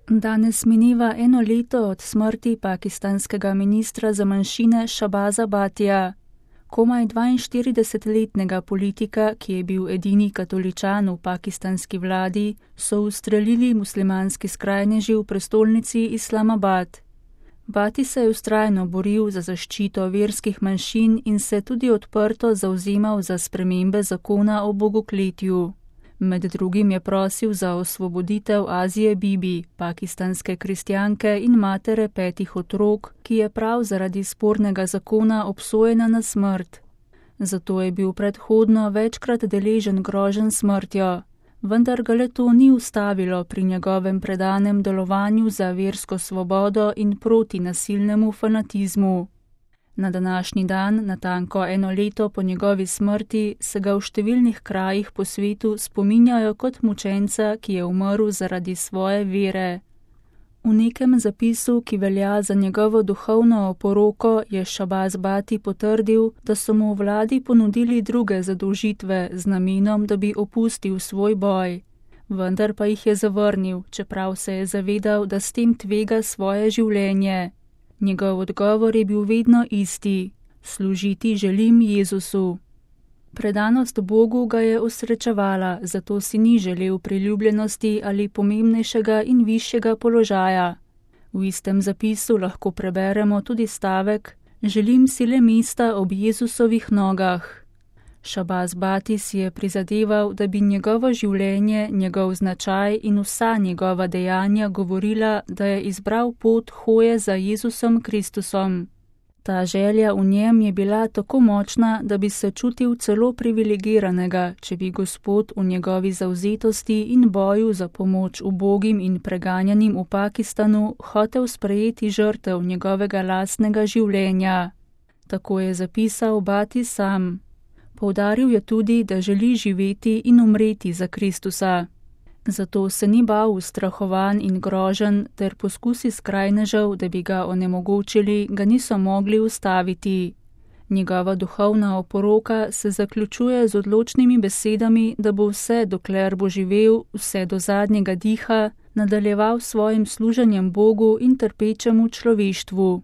Danes mineva 1 leto od smrti pakistanskega ministra za manjšine Shahbaza Bhatija. Komaj 42-letnega politika, ki je bil edini katoličan v pakistanski vladi, so ustrelili muslimanski skrajneži v prestolnici Islamabad. Bhati se je vztrajno boril za zaščito verskih manjšin in se tudi odprto zavzemal za spremembe zakona o bogokletju. Med drugim je prosil za osvoboditev Azije Bibi, pakistanske kristjanke in matere 5 otrok, ki je prav zaradi spornega zakona obsojena na smrt. Zato je bil predhodno večkrat deležen groženj s smrtjo, vendar ga le to ni ustavilo pri njegovem predanem delovanju za versko svobodo in proti nasilnemu fanatizmu. Na današnji dan, natanko 1 leto po njegovi smrti, se ga v številnih krajih po svetu spominjajo kot mučenca, ki je umrl zaradi svoje vere. V nekem zapisu, ki velja za njegovo duhovno oporoko, je Shahbaz Bhati potrdil, da so mu v vladi ponudili druge zadolžitve z namenom, da bi opustil svoj boj. Vendar pa jih je zavrnil, čeprav se je zavedal, da s tem tvega svoje življenje. Njegov odgovor je bil vedno isti: služiti želim Jezusu. Predanost Bogu ga je osrečevala, zato si ni želel priljubljenosti ali pomembnejšega in višjega položaja. V istem zapisu lahko preberemo tudi stavek: želim si le mesta ob Jezusovih nogah. Shahbaz Bhati si je prizadeval, da bi njegovo življenje, njegov značaj in vsa njegova dejanja govorila, da je izbral pot hoje za Jezusom Kristusom. Ta želja v njem je bila tako močna, da bi se čutil celo privilegiranega, če bi Gospod v njegovi zavzetosti in boju za pomoč ubogim in preganjanim v Pakistanu hotel sprejeti žrtev njegovega lastnega življenja. Tako je zapisal Bhati sam. Poudaril je tudi, da želi živeti in umreti za Kristusa. Zato se ni bal ustrahovanj in groženj ter poskusi skrajnežev, da bi ga onemogočili, ga niso mogli ustaviti. Njegova duhovna oporoka se zaključuje z odločnimi besedami, da bo vse, dokler bo živel, vse do zadnjega diha, nadaljeval svojim služenjem Bogu in trpečemu človeštvu.